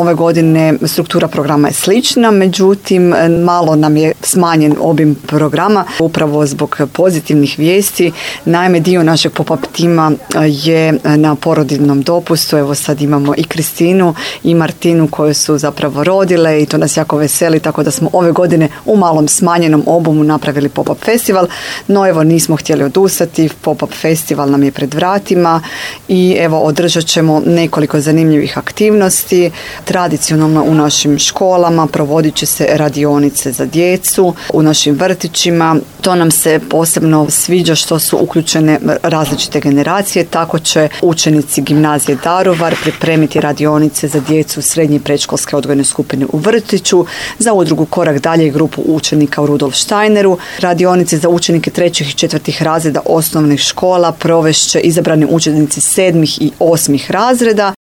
Ove godine struktura programa je slična, međutim malo nam je smanjen obim programa upravo zbog pozitivnih vijesti. Naime, dio našeg pop-up tima je na porodiljnom dopustu. Evo sad imamo i Kristinu i Martinu koje su zapravo rodile i to nas jako veseli, tako da smo ove godine u malom smanjenom obimu napravili pop-up festival, no evo nismo htjeli odustati, pop-up festival nam je pred vratima i evo održat ćemo nekoliko zanimljivih aktivnosti. Tradicionalno u našim školama provodit će se radionice za djecu, u našim vrtićima. To nam se posebno sviđa što su uključene različite generacije, tako će učenici gimnazije Daruvar pripremiti radionice za djecu srednje i predškolske odgojne skupine u vrtiću, za udrugu Korak dalje i grupu učenika u Rudolf Steineru. Radionice za učenike 3. i 4. razreda osnovnih škola provešće izabrani učenici 7. i 8. razreda.